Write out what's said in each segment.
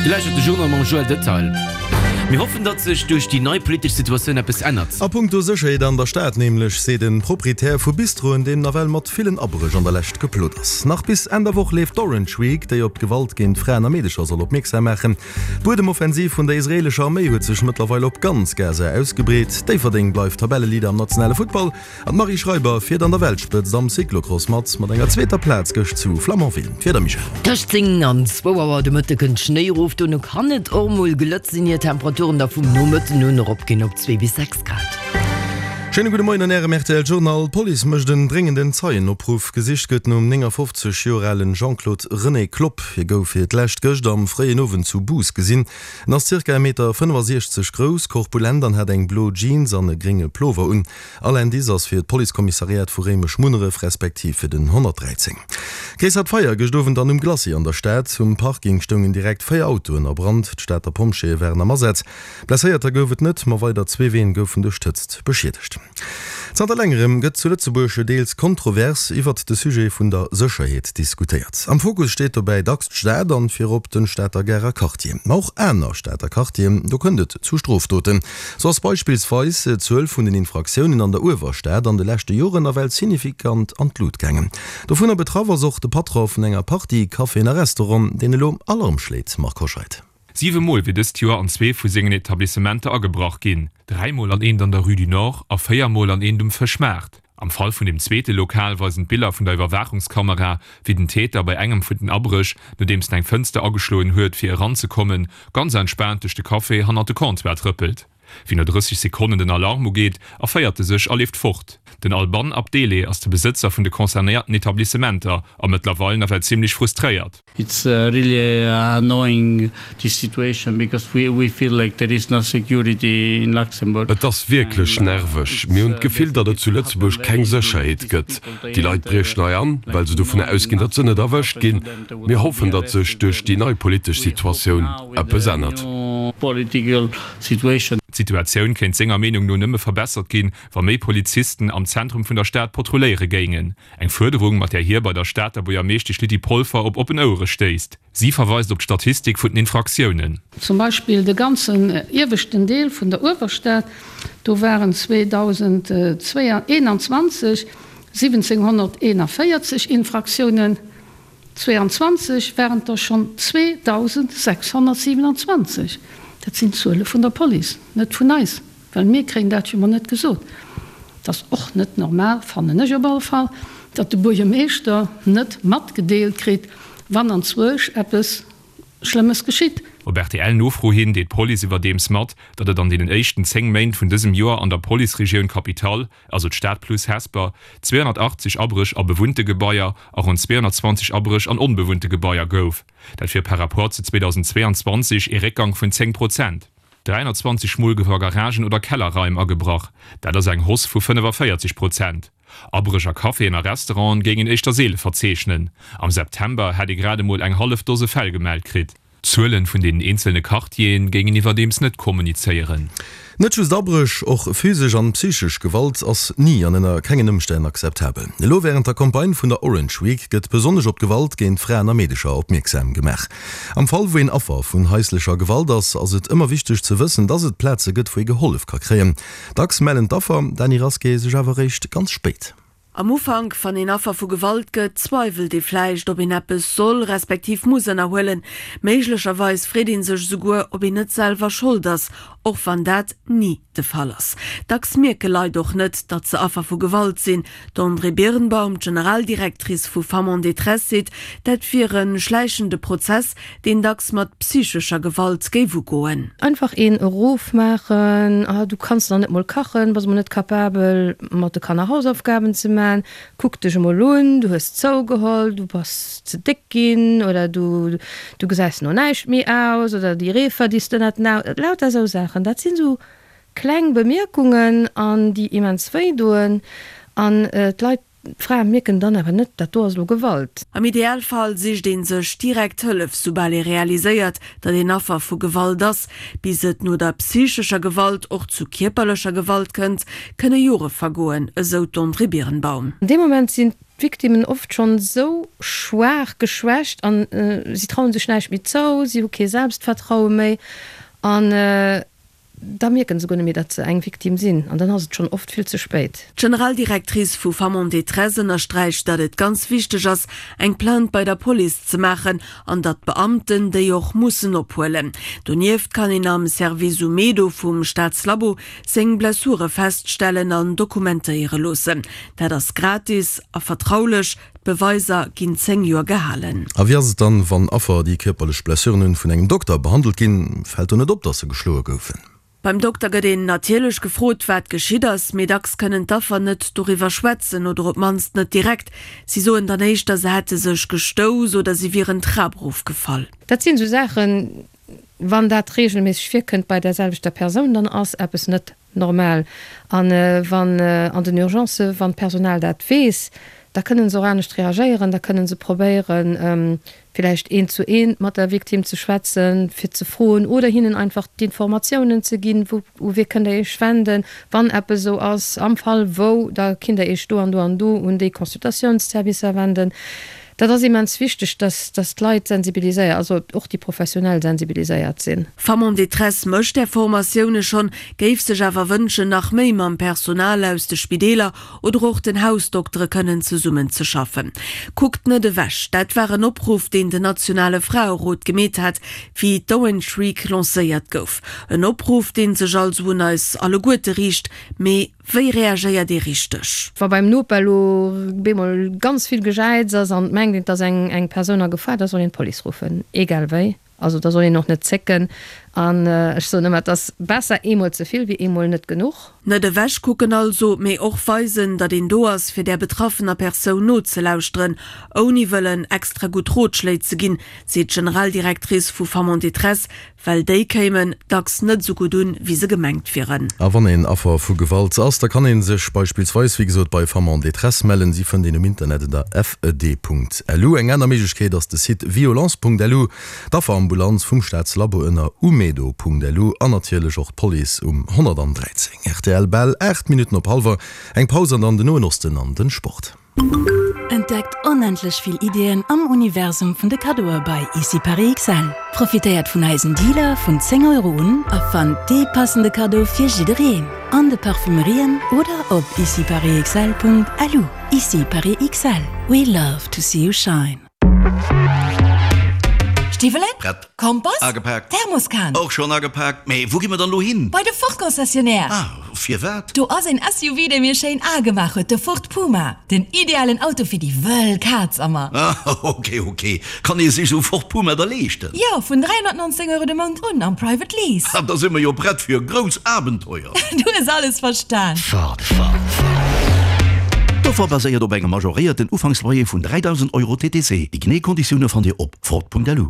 Dir lauschtert de Journal mam Joël Detail. Mir hoffen, datt sech duerch déi nei politesch Situatioun eppes ännert. A punkto Sécherheet an der Stad nämlech, seet e Proprietär vu Bistroen, deen nawell mat villen Abréch an der Lescht geplot ass. Nach bis Enn der Woch leeft d'Orange Week, déi op d'Gewalt géint Fraen a Meedecher soll opmierksam maachen. D'Buedemoffensiv vun der israeelescher Arméi huet sech mëttlerweil op ganz Gaza ausgebreet. Déifferdeng bleift Tabelleleader am nationale Futtball an d'Marie Schreiber fiert an der Weltspëtzt am Cyclocross mat, mat enger zweeter Plaz gëscht zu Flamanville. D'Wieder, Michèle? Tëscht 10 an zwou Auer de Mëtte kënnt Schnéi erof, dono kann et och mol glëtt sinn, ier d'Temperaturen da vum Nomëtten un eropginn op 2 bis 6 Grad. Schéine gudde Moien an Ärem rtl Journal. D'Police mécht en dréngenden Zeienopruff. Gesicht gëtt nom 59 Joer alen Jean-Claude René Klopp. Hie gouf fir d'lescht gëscht am fréien Owend zu Bous gesinn. En ass zirka 1 Meter 65 grouss, korpulent an hat eng blo Jeans an e grénge Plover un. All Indice ass fir d'Policekommissariat vu Réimech-Munneref respektiv fir den 113. Gréissert Feier gëscht Owend an um Glacis an der Stad. Um Parking stoungen direkt 4 Autoen a Brand. D'Stater Pompjeeë waren am Asaz. Blesséierter gouf et net, ma weider zwee Ween goufen duerch d'Hëtzt beschiedegt. Zanter längerem gëtt zu Lëtzebuerg deels kontrovers iwwert de Sujet vun der Sécherheet diskutéiert. Am Fokus steet dobäi dacks d'Stad an virop den Stater Garer Quartier. Ma och aner Stater Quartieren, do kënnt et zu Strofdoten. Sou ass beispillsweis d'Zuel vun den Infraktiounen an der Uewerstad an de leschte Joren nawell signifikant an d'Lut gaangen. Dovunner betraff ass och de Patron vun enger Partie Caféen a Restauranten, deen elo Alarm schléit, Marc Hoscheid. Siwe Mol wier dëst Joer an zwee vu sengen Etablissementer agebrach ginn, dräimol an eent an der Rue du Nord a véiermol an eent um Fëschmaart. Am Fall vun dem zweete Lokal weisen d'Biller vun der Iwwerwaachungskamera, wéi den Täter bei engem vun den Abréch, nodeems en eng Fënster ageschloen huet, fir eranzekommen, ganz entspaant duerch de Café hannert de Comptoir trëppelt. Wéi no 30 Sekonnen den Alarm ugeet, erféiert e sech a leeft fort. Den Alban Abdele ass de Besëtzer vun de concernéierten Etablissementer a mëttlerweil nawell zimmlech frustréiert. It's really annoying this situation because we we feel like there is no security in Luxembourg. Et ass wierklech nerveg. Mir hunn d'Gefill, datt et zu Lëtzebuerg keng Sécherheet gëtt. Déi Leit briechen hei an, well se dovunner ausginn, datt se net erwëscht ginn. Mir hoffen, datt sech duerch déi nei politesch Situatioun eppes ännert. D'Situatioun kéint senger Meenung no nëmme verbessert ginn, wa méi Polizisten am Zentrum vun der Stad patrulléiere géingen. Eng Fuerderung, mat där hie bei der Stater Buergermeeschtesch Lydie Polfer op oppen Ouere stéisst. Si verweist op d'Statistik vun den Infraktiounen. Zum Beispill de ganzen ieweschten Deel vun der Uewerstad, do waren 2021 1.741 Infraktiounen, 22 waren et der schonn 2.627. Dat sinn d'Zuele vun der Police, net vun eis, well mir kréien dat jo mol net gesot. Et ass och net normal, fannen ech op alle Fall, datt de Buergermeeschter net matgedeelt kritt, wann anzwousch eppes Schlëmmes geschitt. Op RTL-Nofro hin deet d'Police iwwerdeems mat, datt et an deenen éischten 10 Méint vun dësem Joer an der Policeregioun Capitale, also d'Stad plus Hesper, 280 Abréch a bewunnte Gebaier a ronn 220 Abréch an onbewunnte Gebaier gouf. Dat wier par Rapport zu 2022 ee Réckgang vun 10 Prozent. 320 Mol gouf a Garagen oder Kellerraim agebrach, dat ass eng Hausse vu 45 Prozent. Abréch a Caféen a Restauranten géingen éischter seele verzeechnen. Am September hätt ee grad emol eng hallef Dose Fäll gemellt kritt. D'Zuelen vun den eenzelne Quartieren géingen iwwerdeems net kommunizéieren. Net just Abréch, och physesch an psychesch Gewalt ass ni an ënner kengen Ëmstänn akzeptabel. Elo wärend der Campagne vun der Orange Week gëtt besonnesch op d'Gewalt géint Fraen a Meedecher opmierksam gemaach. Am Fall wou een Affer vun haislecher Gewalt ass, ass et ëmmer wichteg ze wëssen, dass et Plaze gëtt wou ee gehollef ka kréien. Dacks mellen d'Affer, Dany Rasqué, sech awer eréischt ganz spéit. Am Ufank, wann een Affer vu Gewalt gëtt, zweiwelt ee vläicht, ob een eppes soll respektiv muss ënnerhuelen. Méiglecherweis freet ee sech esouguer, ob een net selwer Schold ass, och wann dat ni de Fall ass. Dacks mierke Leit och net, datt se Affer vu Gewalt sinn. D'Andrée Birnbaum, d'Generaldirectrice vu Femmes en détresse, seet, dat wier e schläichende Prozess, deen dacks mat psychescher Gewalt géif ugoen. Einfach een erofmaachen, ah du kanns nach net mol kachen, bass mol net capabel mat de Kanner Hausaufgaben ze man, kuck dech emol un, du hues zougeholl, du bass ze déck ginn oder du du gesäis no näischt méi aus oder déi Reefer déi s de ënnert den Au, lauter esou Saachen. Dat sinn esou kleng Bemierkungen an déi immens wéi doen an d'Leit D'Frae mierken dann awer net, dat do ass elo Gewalt. Am Idealfall sicht ee sech direkt Hëllef, soubal ee realiséiert, datt een Affer vu Gewalt ass. Bis et no der psychescher Gewalt och zu kierperlecher Gewalt kënnt, kënne Jore vergoen, esou d'Andrée Birnbaum. An deem Moment sinn. d'Victimmen oft schonn esou schwaach, geschwächt an si trauen sech näischt méi zou, si hu kee Selbstvertraue méi an da mierken se guer net méi, datt se eng Victime sinn an dann ass et schonn oft vill ze spéit. D'Generaldirectrice vu Femmes en détresse ënnersträicht, datt et ganz wichteg ass, eng Plainte bei der Police ze maachen an datt d'Beamten déi och mussen ophuelen. Donieft kann een am Service Umedo vum Staatslabo seng Blessure feststellen an dokumentéiere loossen. Dat ass gratis a vertraulech, d'Beweiser ginn 10 Joer gehalen. A wéi ass et dann, wann Affer, déi kierperlech Blessuren hunn, vun engem Dokter behandelt ginn? Fält do net op, dass se geschloe goufen? Beim Dokter gëtt een natierlech gefrot, wat geschitt ass, mee dacks kënnen d'Affer net doriwwer schwätzen oder op d'mannst net direkt. Si soen dann éischter, se hätte sech gestouss oder si wieren d'Trap erofgefall. Dat sinn esou Saachen, wann dat reegelméisseg virkënnt bei där selwechter Persoun, dann ass eppes net Normal. A wann an den Urgencen, wann d'Personal dat weess, da kënnen se och anescht reagéieren, da kënnen se probéieren, villäicht eent zu eent mat der Victime ze schwätzen, fir ze froen oder hinnen einfach d'Informatiounen ze ginn, wou, u wie kënnt Der Iech wenden, wann eppes esou ass, am Fall wou, da kinnt Der Iech do an do an do un déi Consultatiounsservicer wenden. Dat ass immens wichteg, dass, dass d'Leit sensibiliséiert, also och déi Professionell sensibiliséiert sinn. Femmes en détresse mécht där Formatioune schonn, géif sech awer wënschen, nach méi mam Personal aus de Spideeler oder och den Hausdoktere kënnen zesummen ze schaffen. Kuckt net ewech, dat war en Opruff, deen den nationale Fraerot gemeet hat, wéi d'Orange Week lancéiert gouf. En Opruff, dee sech also un eis alleguerte riicht, mee Wéi reagéiert ee richteg? Wa beim Noper elo bemol ganz vill Gejäiz ass an et mengt een, et ass eng Persoun a Gefahr, da soll een d'Police ruffen, egal wéi. Also da soll een och net zécken. An ech soen ëmmer, et ass besser eemol ze vill wéi eemol net genuch. Net ewech kucken also, mee och weisen, datt een do ass, fir där betraffener Persoun nozelauschteren, ouni wëllen extra gutt Rotschléi ze ginn, seet d'Generaldirectrice vu Femmes en détresse, Well déi kéimen dacks net esou gutt un, wéi se gemengt wieren. A wann een Affer vu Gewalt ass, da kann ee sech beispillsweis, wéi gesot, bei Femmes en détresse mellen. Si fënnt een um Internet ënner fed.lu. Eng aner Méiglechkeet ass de Site violence.lu, d'Afferambulanz vum Staatslabo ënner umedo.lu an natierlech och d'Police um 113. Rtl, Bal 8 Minutten op hallwer eng Paus an dann den Noen Osten an den Sport. Entdeckt onendlech vill Iddien am Universum vun de Kaddoe bei Ici Paris XL. Profitéiert vun eisen Dealer vun 10 Euro un a fannt dee passende Kaddo fir jiddereen an de Parfümerien oder op iciparisxl.lu. Ici Paris XL, we love to see you shine. Stiwwelen? Prett. Kompass? Agepaakt. Thermoskan? Och schonn agepaakt. Mee wou gi mer dann elo hin? Bei de Ford Concessionnaire. Ah, firwat? Do ass een SUV dee mir schéin al gemaach huet, de Ford Puma. Den idealen Auto fir déi wëll Kaz a mer. Ah, ok, ok. Kann ee sech esou Ford Puma da leeschten? Jo, vun 319 Euro de Mount un am Private Lease. Ah, da si mer jo prett fir e grouss Abenteuer. Du hues alles verstan. Ford, Ford, Ford. D'Offer baséiert op engem majoréierten Ufanksloyer vun 3.000 Euro TTC. Déi genee Konditioune fannt Dir op Ford.lu.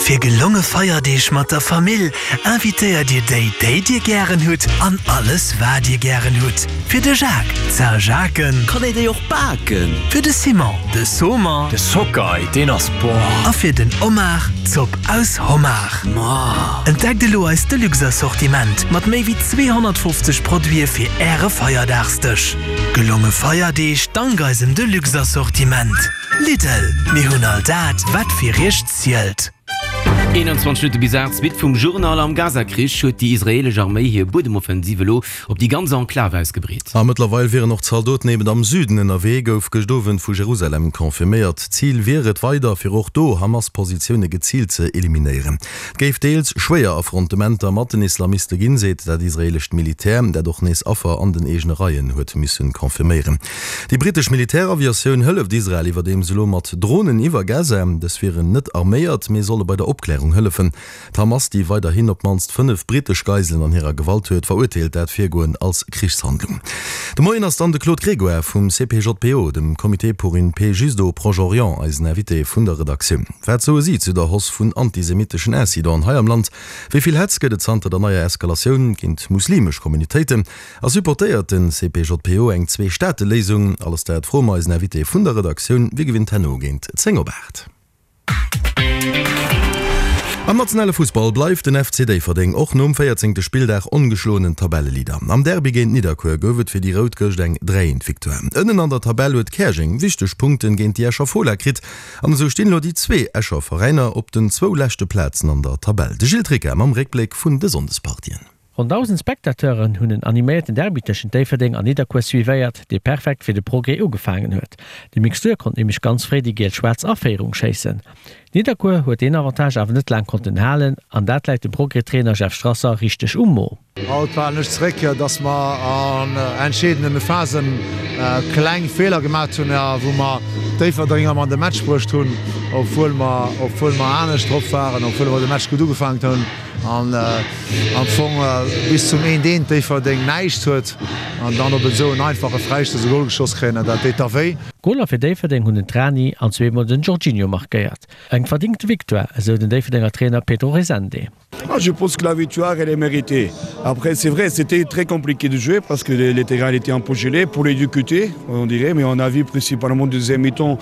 Fir gelonge Feierdeeg mat der Famill invitéiert Dir déi, déi Dir gären hutt an alles wat Dir gären hutt. Fir de Jacques, d'Saint-Jacques. Kann een déi och baken? Fir de Simon, de Saumon. De Sockeye, deen ass boah. A fir den Omar, d'Zopp aus Homard. Ma. Entdeckt elo eist Deluxe-Assortiment mat méi wéi 250 Produite fir Äre Feierdagsdësch. Gelonge Feierdeeg dank eisem Deluxe-Assortiment. Lidl, mir hunn all dat, wat fir Iech zielt. 21 Minutte bis 8, Suite vum Journal, Am Gaza-Krich huet déi israeelesch Arméi hir Buedemoffensiv elo op déi ganz Enklav ausgebreet. A mëttlerweil wieren och Zaldoten eben am Süden ënnerwee, gouf gëscht Owend vu Jerusalem confirméiert. Zil wier et weider, fir och do Hamas-Positioune geziilt ze eliminéieren. Et géif deels schwéier Affrontementer mat den Islamiste ginn, seet dat israeelescht Militär, dat och nees Affer an den eegene Reien huet missen confirméieren. Déi brittesch Militäraviatioun hëlleft Israel iwwerdeems elo mat Dronen iwwer Gaza. Dës wieren net arméiert, mee solle bei der Opklärung hëllefen. D'Hamas, déi weiderhin op d'mannst 5 brittesch Geiselen an hirer Gewalt huet, verurteelt dat Virgoen als Krichshandlung. De Moien ass dann de Claude Grégoire vum CPJPO, dem Comité pour une paix juste au Proche-Orient, eisen Invité vun der Redaktioun. Wat soe si zu der Hausse vun antisemitteschen Incidenten hei am Land? Wéi vill Hetz gëtt et zanter der neier Eskalatioun géint muslimesch Communautéiten? A supportéiert den CPJPO eng Zwee-Staate-Léisung? Alles dat froe mer eisen Invité vun der Redaktioun, wéi gewinnt herno géint 10 op 8. Am nationale Fussball bleift den FC Déifferdeng och nom véierzéngte Spilldag ongeschloenen Tabelleleader. Am Derby géint Nidderkuer gouf et fir déi Rout gëscht eng 3 Eent Victoire. Ënnen an der Tabell huet Käerjeng wichteg Punkten géint déi Escher Fola kritt an esou stinn elo déi zwee Escher Veräiner op den zwou leschte Plazen an der Tabell. De Gilles Tricca mam Réckbléck vun de Sonndespartien. Ronn 1.000 Spectateuren hunn en animéierten Derby tëschent Déifferdeng an Nidderkuer suivéiert, dee perfekt fir de Progrès ugefaangen huet. De Mixtur konnt nämlech ganz fréi déi giel-schwaarz a Féierung schéissen. Nidderkuer huet deen Avantage awer net laang konnten halen an dat läit dem Progrès-Trainer Jeff Strasser richteg um Mo. Haut falen ech zeréck, dass mer an entscheedende Phasen kleng Feeler gemat hunn, wou mer Déifferdeng erëm an de Match bruecht hunn, obwuel mer obwuel mer anescht drop waren, obwuel mer de Match gutt ugefaangen hunn. An am Fong bis zum eent eent Déifferdeng näischt huet an dann op esou en einfache Fräistouss e Gol geschoss kréien, dat deet da wéi. Goler fir Déifferdeng hunn den Trani an zweemol den Jorginho markéiert. Eng verdéngte Victoire, esou den Déifferdenger Trainer Pedro Resende. Ah je pense que la victoire elle est méritée. Après c'est vrai c'était très compliqué de jouer parce que les terrains étaient un peu gelés pour les deux côtés on dirait mais on a vu principalement deuxième mi-temps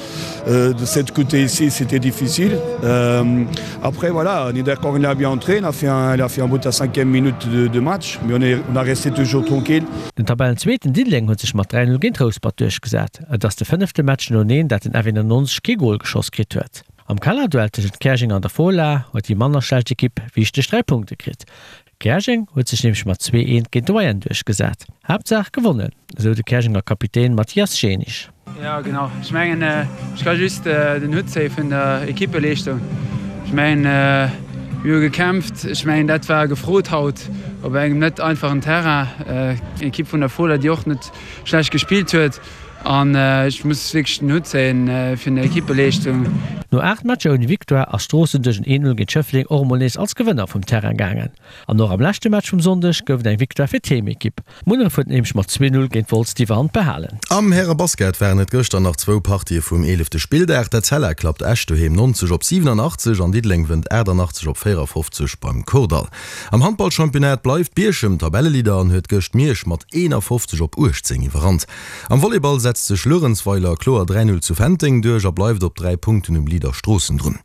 euh, de cette côté ici c'était difficile. Euh, après voilà on est d'accord il a bien entré, il a fait un, il a fait un but à cinquième minute de, de match mais on est on a resté toujours tranquille. Den Tabellenzweeten Diddeleng huet sech mat 3, 0 géint Rouspert duerchgesat. Et ass de fënnefte Match noeneen dat den F91 kee Gol geschoss kritt huet. Am Kellerduell tëschent Käerjeng an der Fola huet déi manner schlecht Ekipp wichteg 3 Punkte kritt. Käerjeng huet sech nämlech mat 2, 1 géint de Wayern duerchgesat. Haaptsaach gewonnen, esou de Käerjenger Kapitän Mathias Jenisch. Jo genau, ech mengen ech ka just den Hutt zéie vun der Ekippeleeschtung. Ech mengen mir hu gekämpft, ech mengen dat war gefrot haut op engem net einfachen Terrain. Eng Ekipp vun der Fola déi och net schlecht gespillt huet an ech muss wierklech den Hutt zéien vun der Ekippeleeschtung. No 8 Matcher ouni Victoire ass Stroossen duerch en 1, 0 géint Schëffleng och emol nees als Gewënner vum Terrain gaangen. An och am leschte Match vum Sonndeg gouf et eng Victoire fir d'Heemekipp. Munneref huet nämlech mat 2, 0 géint Wolz d'Iwwerhand behalen. Am Härebasket waren et gëschter nach zwou Partië vum eelefte Spilldag. D'Etzella klappt Esch doheem 90 op 87 an Diddeleng wënnt 88 op 54 beim Kordall. Am Handballchampionnat bleift Bierchem Tabelleleader an huet gëscht Miersch mat 51 op 18 iwwerrannt. Am Volleyball setzt sech Luerenzweiler kloer 3, 0 zu Fenteng duerch a bleift op 3 Punkten um Leader Stroossen drun.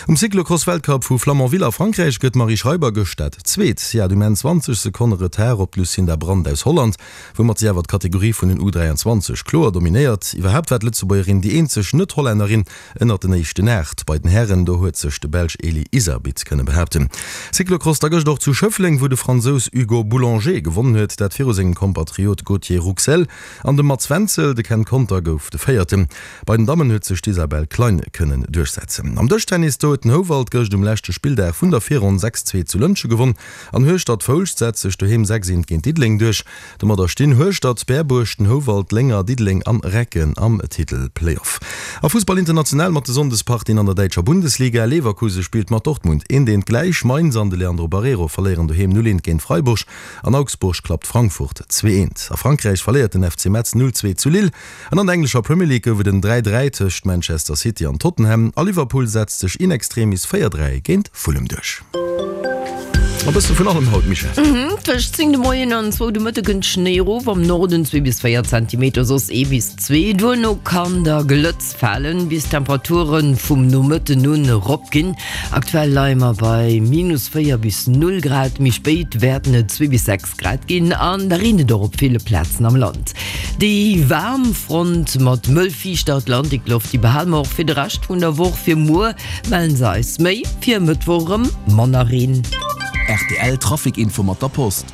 Um Cyclocross-Weltcup vu Flamanville a Frankräich gëtt d'Marie Schreiber gëscht dat Zweet. Si hat um Enn 20 Sekonne Retard op d'Lucinda Brand aus Holland, woumat si awer d'Kategorie vun den U 23 kloer dominéiert. Iwwerhaapt war d'Lëtzebuergerin déi eenzeg Net-Hollännerin ënnert den éischten 8. Bei den Hären, do huet sech de Belsch Eli Iserbyt kënne behaapten. Cyclocross da gëscht och zu Schëffleng, wou de Fransous Hugo Boulanger gewonnen huet, dat viru sengem Kompatriot Gauthier Rouxel an dem Mats Wenzel. De Ken Conter gouf de Véierten. Bei den Dammen huet sech d'Isabelle Klein kënnen duerchsetzen. Am Dëschtennis, do huet den Houwald gëscht um leschte Spilldag vun der Virronn 6, 2 zu Lëntge gewonn an Hueschtert-Foulscht setzt sech doheem 6, 1 géint Diddeleng duerch. Domadder stinn Hueschtert, Berbuerg, den Houwald, Lénger, Diddeleng an Recken am Titel-Playoff. A Fussball international mat de Sonndespartien an der däitscher Bundesliga, Leverkusen spillt mat Dortmund eent eent gläich, Mainz an de Leandro Barreiro verléieren doheem 0 eent géint Freiburg an Augsburg klappt Frankfurt 2 eent. A Frankräich verléiert den FC Metz 0 2 zu Lille an an der englescher Premier League gouf et en 3 3 tëscht Manchester City an Tottenham a Liverpool setzt sech in extremis 4 3 géint Fulham duerch. E bësse vun allem haut, Michèle. Tëscht 10 de Moien an zwou de Mëtte kënnt Schnéi erof, am Norden zwee bis 4 Zentimeter, soss ee bis zwee. Duerno kann da Glëtz falen, bis d'Temperature vum Nomëtten un eropginn. Aktuell leie mer bei minus 4 bis 0 Grad, méi spéit wäerten et zwee bis 6 Grad ginn an da reent et och op ville Plazen am Land. Déi waarm Front mat mëll fiichter Atlantikloft, déi behale mer och fir de Rescht vun der Woch. Fir muer mellen se eis méi, fir e Mëttwoch erëm manner Reen. Rtl Trafic Info mat der Post.